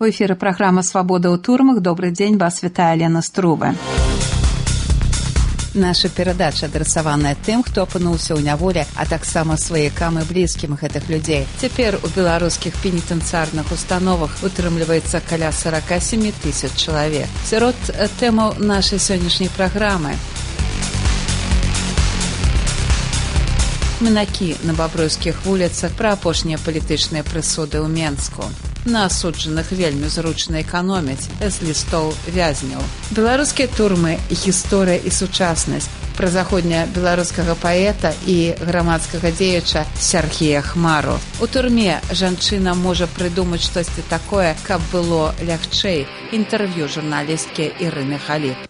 У эфіры праграма «Свабода ў турмах». Добры дзень, вас вітае Лена Струве. Наша перадача адрасаваная тым, хто апынуўся ў няволі, а таксама сваякам і блізкім гэтых людзей. Цяпер у беларускіх пенітэнцыярных установах утрымліваецца каля 47 000 чалавек. Сярод тэмаў нашай сённяшняй праграмы: мінакі на бабруйскіх вуліцах, пра апошнія палітычныя прысуды ў Менску. На асуджаных вельмі зручна эканоміць з лістоў вязняў. Беларускія турмы, гісторыя і сучаснасць. Пра заходня беларускага паэта і грамадскага дзеяча Сергея Хмару. У турме жанчына можа прыдумаць штосьці такое, каб было лягчэй. Інтэрв'ю журналісткі Ірыны Халіп.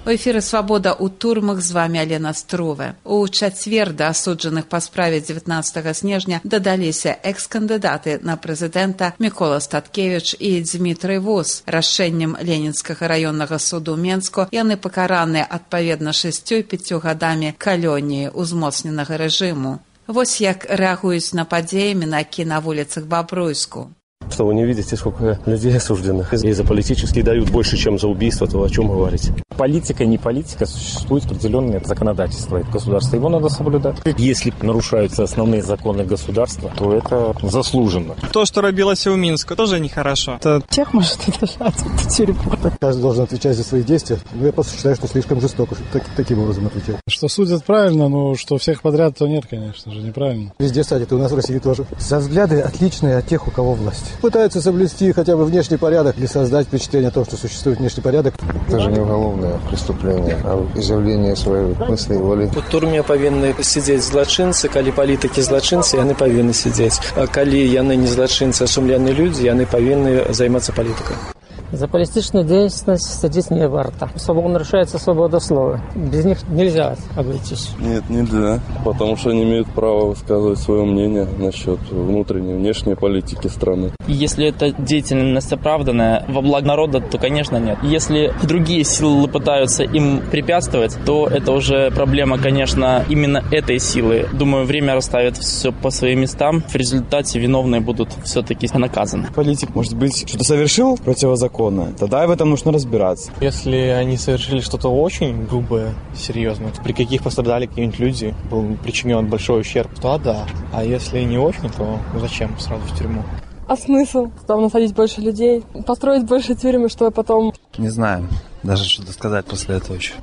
У эфіры «Свабода ў турмах», з вамі Алена Струве. У чацвер да асуджаных па справе 19 снежня дадаліся экс-кандыдаты на прэзідэнта Мікола Статкевіч і Дзмітрый Вус. Рашэннем Ленінскага раённага суду Менску яны пакараныя адпаведна 6 і 5 гадамі калоніі ўзмоцненага рэжыму. Вось як рэагуюць на падзеі мінакі на вуліцах Бабруйску. Что вы не видите, сколько людей осужденных? И за политические дают больше, чем за убийство, то о чем говорить? Политика, не политика, существует определенное законодательство государства. Его надо соблюдать. Если нарушаются основные законы государства, то это заслуженно. То, что робилось у Минска, тоже нехорошо. Это тех может удержать, это тюрьму. Каждый должен отвечать за свои действия. Но я просто считаю, что слишком жестоко таким образом отвечать. Что судят правильно, но что всех подряд, то нет, конечно же, неправильно. Везде садят, и у нас в России тоже. За взгляды отличные от тех, у кого власть. Пытаются соблюсти хотя бы внешний порядок или создать впечатление о том, что существует внешний порядок. Это же не уголовное преступление, а изъявление своей мысли и воли. У турме павінны сидзець злачынцы, калі палітыкі злачынцы, яны павінны сидзець. А калі яны не злачынцы, а сумленные люди, яны павінны займацца палітыкай. За политическую деятельность садить не варто. Нарушается свобода слова. Без них нельзя обойтись. Нет, нельзя. Потому что они имеют право высказывать свое мнение насчет внутренней и внешней политики страны. Если эта деятельность оправданная во благо народа, то, конечно, нет. Если другие силы пытаются им препятствовать, то это уже проблема, конечно, именно этой силы. Думаю, время расставит все по своим местам. В результате виновные будут все-таки наказаны. Политик, может быть, что-то совершил противозаконно, тогда в этом нужно разбираться. Если они совершили что-то очень грубое, серьезное, при каких пострадали какие-нибудь люди, был причинен большой ущерб, то да. А если не очень, то зачем сразу в тюрьму? А смысл? Там насадить больше людей, построить больше тюрьмы, чтобы потом... Не знаю, даже что-то сказать после этого еще.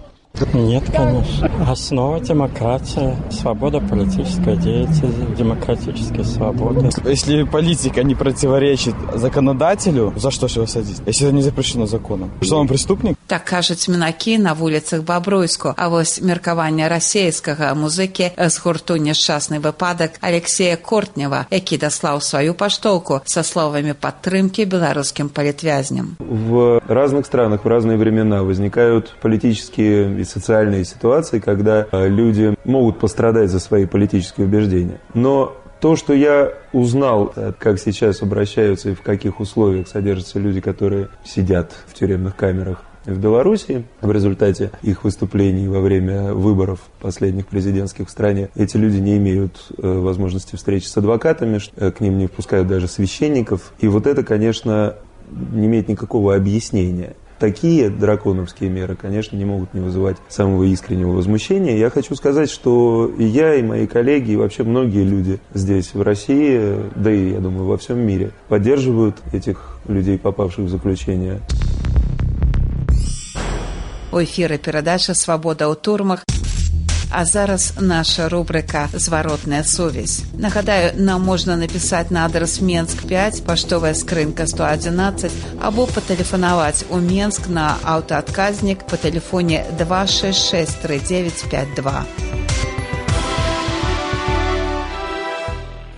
Нет, конечно. Основа демократии, свобода политической деятельности, демократические свободы. Если политика не противоречит законодателю, за что же его садить? Если это не запрещено законом. Что он преступник? Так кажуць мінакі на вуліцах Бабруйску. А вось меркаванне расейскага музыкі з гурту «Няшчасны выпадак» Алексея Кортнева, які даслаў сваю паштоўку са словамі падтрымкі беларускім палітвязням. В разных странах в разные времена возникают политические и социальные ситуации, когда люди могут пострадать за свои политические убеждения. Но то, что я узнал, как сейчас обращаются и в каких условиях содержатся люди, которые сидят в тюремных камерах в Беларуси, в результате их выступлений во время выборов последних президентских в стране, эти люди не имеют возможности встречи с адвокатами, к ним не впускают даже священников. И вот это, конечно, не имеет никакого объяснения. Такие драконовские меры, конечно, не могут не вызывать самого искреннего возмущения. Я хочу сказать, что и я, и мои коллеги, и вообще многие люди здесь, в России, да и, я думаю, во всем мире, поддерживают этих людей, попавших в заключение. У эфіры перадача «Свабода ў турмах». А зараз наша рубрика «Зворотная сувязь». Нагадаю, нам можна написать на адрес Менск 5, паштовая скрынка 111, або патэлефанаваць у Менск на аўтаадказнік по тэлефоне 266 3952.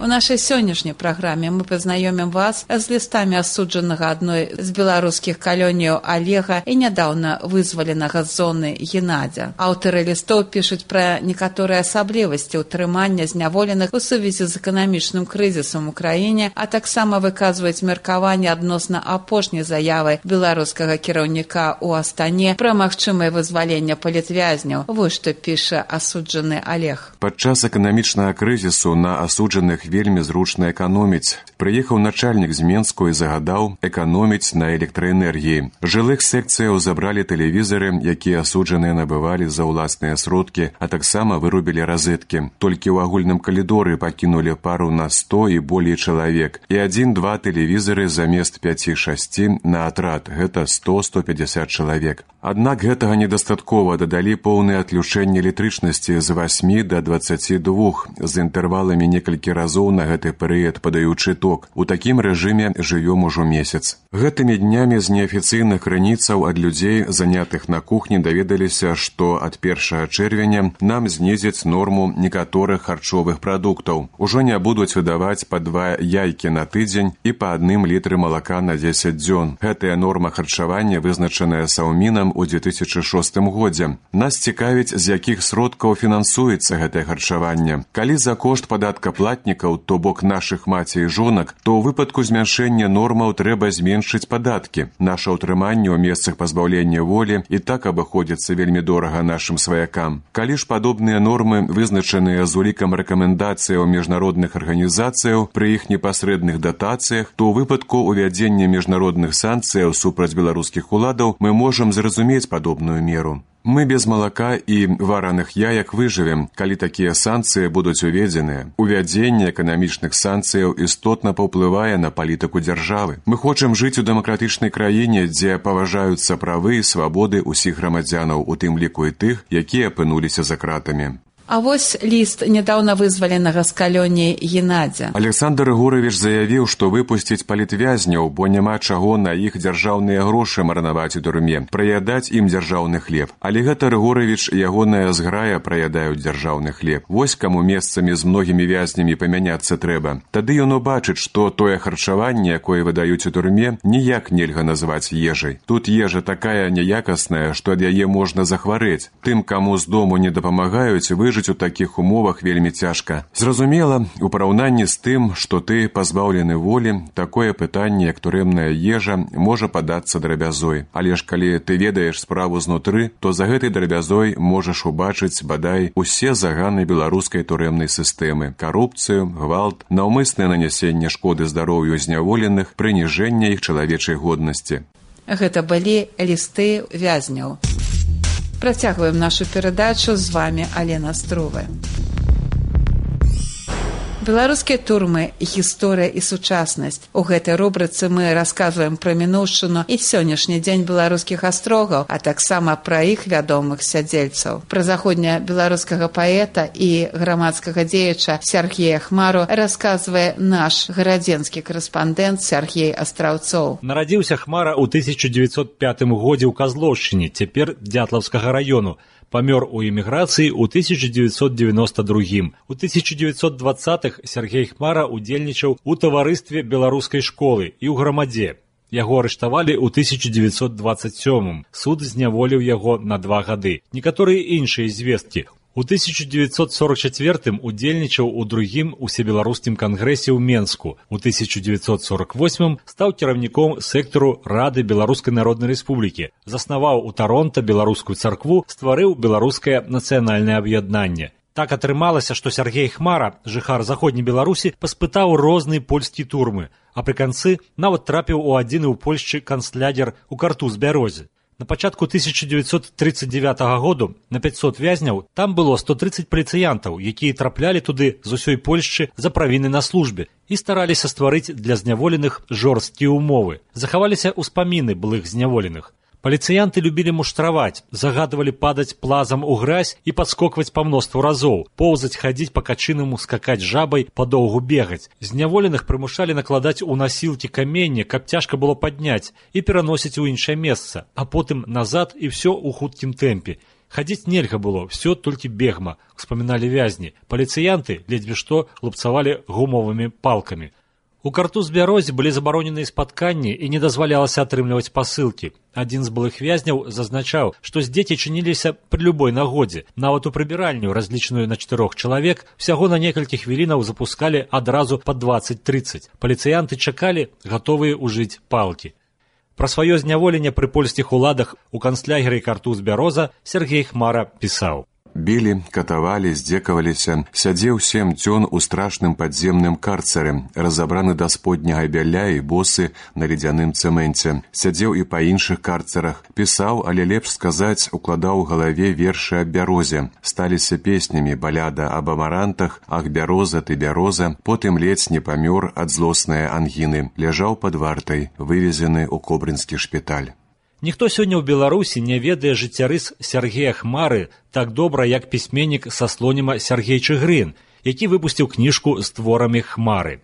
У нашай сённяшняй праграме мы пазнаёмім вас з лістамі асуджанага адной з беларускіх калоніяў Олега і нядаўна вызваленага з зоны Геннадзя. Аўтары лістоў пішуць пра некаторыя асаблівасці ўтрымання зняволеных у сувязі з эканамічным крызісам у краіне, а таксама выказваюць меркаванне адносна апошняй заявы беларускага кіраўніка ў Астане пра магчымае вызваленне палітвязняў. Вось што піша асуджаны Олег. Падчас эканамічнага крызісу на асуджаных вельмі зручна эканоміць. Прыехаў начальнік з Менску і загадаў эканоміць на электраэнергіі. Жылых секцыяў забралі тэлевізары, якія асуджаныя набывалі за ўласныя сродкі, а таксама вырубілі розеткі. Толькі ў агульным калідоры пакінулі пару на 100 і болей чалавек. І 1-2 тэлевізары замест 5-6 на атрад. Гэта 100-150 чалавек. Аднак гэтага недастаткова, дадалі поўнае адключэнне электрычнасці з 8 до 22 з інтэрваламі некалькі разоў на гэты перыяд падаючы ток. У такім рэжыме жывём ужо месяц. Гэтымі днямі з неафіцыйных крыніцаў ад людзей, занятых на кухні, даведаліся, што ад 1 чэрвеня нам знізяць норму некаторых харчовых прадуктаў. Ужо не будуць выдаваць па 2 яйкі на тыдзень і па 1 літры малака на 10 дзён. Гэтая норма харчавання вызначаная Саўмінам у 2006 годзе. Нас цікавіць, з якіх сродкаў фінансуецца гэтае харчаванне. Калі за кошт падаткаплатнікаў, то бок нашых маці і жонак, то ў выпадку змяншэння нормаў трэба зменшыць падаткі. Наша ўтрыманне ў месцах пазбаўлення волі і так абыходзіцца вельмі дорага нашым сваякам. Калі ж падобныя нормы вызначаныя з улікам рэкамендацыяў міжнародных арганізацыяў пры іх непасрэдных датацыях, то ў выпадку увядзення міжнародных санкцыяў супраць беларускіх уладаў мы можам зразумець падобную меру. Мы без малака і вараных яек выжывем, калі такія санкцыі будуць уведзеныя. Увядзенне эканамічных санкцыяў істотна паўплывае на палітыку дзяржавы. Мы хочам жыць у дэмакратычнай краіне, дзе паважаюцца правы і свабоды ўсіх грамадзянаў, у тым ліку і тых, якія апынуліся за кратамі. А вось ліст нядаўна вызваленага з калоніі Геннадзя. Александр Егорович заявіў, што выпусціць палітвязняў, бо няма чаго на іх дзяржаўныя грошы марнаваць у турме, праядаць ім дзяржаўны хлеб. Але гэта Егорович і ягоная зграя праядаюць дзяржаўны хлеб. Вось каму месцамі з многімі вязнямі памяняцца трэба. Тады ён убачыць, што тое харчаванне, якое выдаюць у турме, ніяк нельга назваць ежай. Тут ежа такая няякасная, што ад яе можна захварэць. Тым, каму з дому не дапамагаюць, выжыць у такіх умовах вельмі цяжка. Зразумела, у параўнанні з тым, што ты пазбаўлены волі, такое пытанне, як турэмная ежа, можа падацца драбязой. Але ж калі ты ведаеш справу знутры, то за гэтай драбязой можаш убачыць, бадай, усе заганы беларускай турэмнай сістэмы: карупцыю, гвалт, наўмыснае нанясенне шкоды здароўю зняволеных, прыніжэнне іх чалавечай годнасці. Гэта былі лісты вязняў. Працягваем нашу перадачу, з вами Алена Струве. Беларускія турмы, гісторыя і сучаснасць. У гэтай рубрыцы мы расказваем пра мінуўшчыну і сённяшні дзень беларускіх астрогаў, а таксама пра іх вядомых сядзельцаў. Пра заходня беларускага паэта і грамадскага дзеяча Сергея Хмару расказвае наш гарадзенскі карэспандэнт Сергей Астраўцоў. Нарадзіўся Хмара ў 1905 годзе ў Казлоўшчыне, цяпер Дзятлаўскага раёну. Памёр у эміграцыі ў 1992. У 1920-х Сергей Хмара удзельнічаў у таварыстве беларускай школы і ў грамадзе. Яго арыштавалі ў 1927. Суд зняволіў яго на 2 гады. Некаторыя іншыя звесткі. У 1944 удзельнічаў у другім усебеларускім кангрэсе ў Менску. У 1948 стаў кіраўніком сектару Рады Беларускай Народнай Рэспублікі. Заснаваў у Таронта беларускую царкву, стварыў беларускае нацыянальнае аб'яднанне. Так атрымалася, што Сергей Хмара, жыхар заходняй Беларусі, паспытаў розныя польскія турмы, а пры канцы нават трапіў у адзіны ў Польшчы канцлядзер у Картуз-Бярозе. На пачатку 1939 году на 500 вязняў там было 130 паліцыянтаў, якія траплялі туды з усёй Польшчы за правіны на службе і стараліся стварыць для зняволеных жорсткія умовы. Захаваліся ўспаміны былых зняволеных. Паліцыянты любілі муштраваць, загадвалі падаць плазам у гразь і падскокваць па мноству разоў, поўзаць, хадзіць па качынаму, скакаць жабай, падоўгу бегаць. Зняволеных прымушалі накладаць у насілкі каменне, каб цяжка было падняць і пераносіць у іншае месца, а потым назад і ўсё ў хуткім тэмпе. Хадзіць нельга было, ўсё толькі бегма, успаміналі вязні. Паліцыянты ледзьве што лупцавалі гумовымі палкамі. У Картуз-Бярозе былі забароненыя спатканні і не дазвалялася атрымліваць пасылкі. Адзін з былых вязняў зазначаў, што дзеці чыніліся пры любой нагодзе. Нават у прыбіральню, разлічаную на 4 чалавек, усяго на некалькі хвілінаў запускалі адразу па 20-30. Паліцыянты чакалі, гатовыя ўжыць палкі. Пра сваё зняволенне пры польскіх уладах у канцлягеры Картуз-Бяроза Сергей Хмара пісаў. Білі, катавалі, здзекаваліся, сядзеў 7 дзён у страшным падземным карцары, разабраны да сподняга бяля і босы на ледзяным цэменце. Сядзеў і па іншых карцарах, пісаў, але лепш сказаць, укладаў у галаве вершы аб бярозе. Сталіся песнямі баляда аб амарантах, ах, бяроза, ты бяроза, потым ледзь не памёр ад злоснай ангіны. Ляжаў пад вартай, вывезены ў кобрынскі шпіталь. Ніхто сёння ў Беларусі не ведае жыццярыс Сергея Хмары так добра, як пісьменнік са Слоніма Сергей Чыгрын, які выпусціў кніжку з творамі Хмары.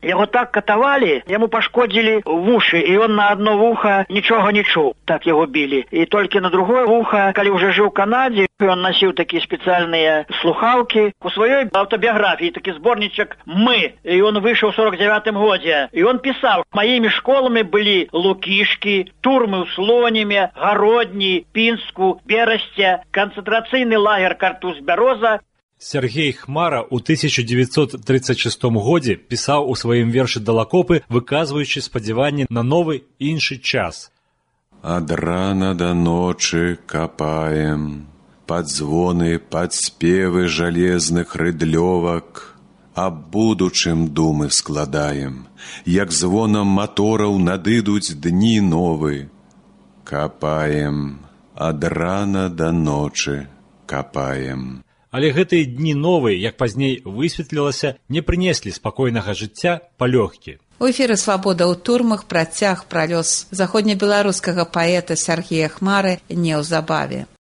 Яго так катавалі, яму пашкодзілі вушы, і ён на одно вуха нічога не чуў. Так яго білі. І толькі на другое вуха, калі ўжо жыў у Канадзе, ён насіў такія спецыяльныя слухаўкі. У сваёй аўтабіяграфіі такі зборнічак «Мы», і ён выйшаў у 49-м годзе. І ён пісаў, маімі школамі былі Лукішкі, турмы ў Слоніме, Гародні, Пінску, Берасце, канцэнтрацыйны лагер Картуз-Бяроза. Сергей Хмара ў 1936 годзе пісаў у сваім вершы «Далакопы», выказваючы спадзяванні на новы іншы час. Ад рана да ночы капаем, пад звоны, пад спевы жалезных рыдлёвак, аб будучым думы складаем, як звонам матораў надыдуць дні новы. Капаем, ад рана да ночы капаем. Але гэтыя дні новыя, як пазней высветлілася, не прынеслі спакойнага жыцця палёгкі. У эфіры «Свабода ў турмах» працяг пра лёс заходнебеларускага паэта Сергея Хмары неўзабаве.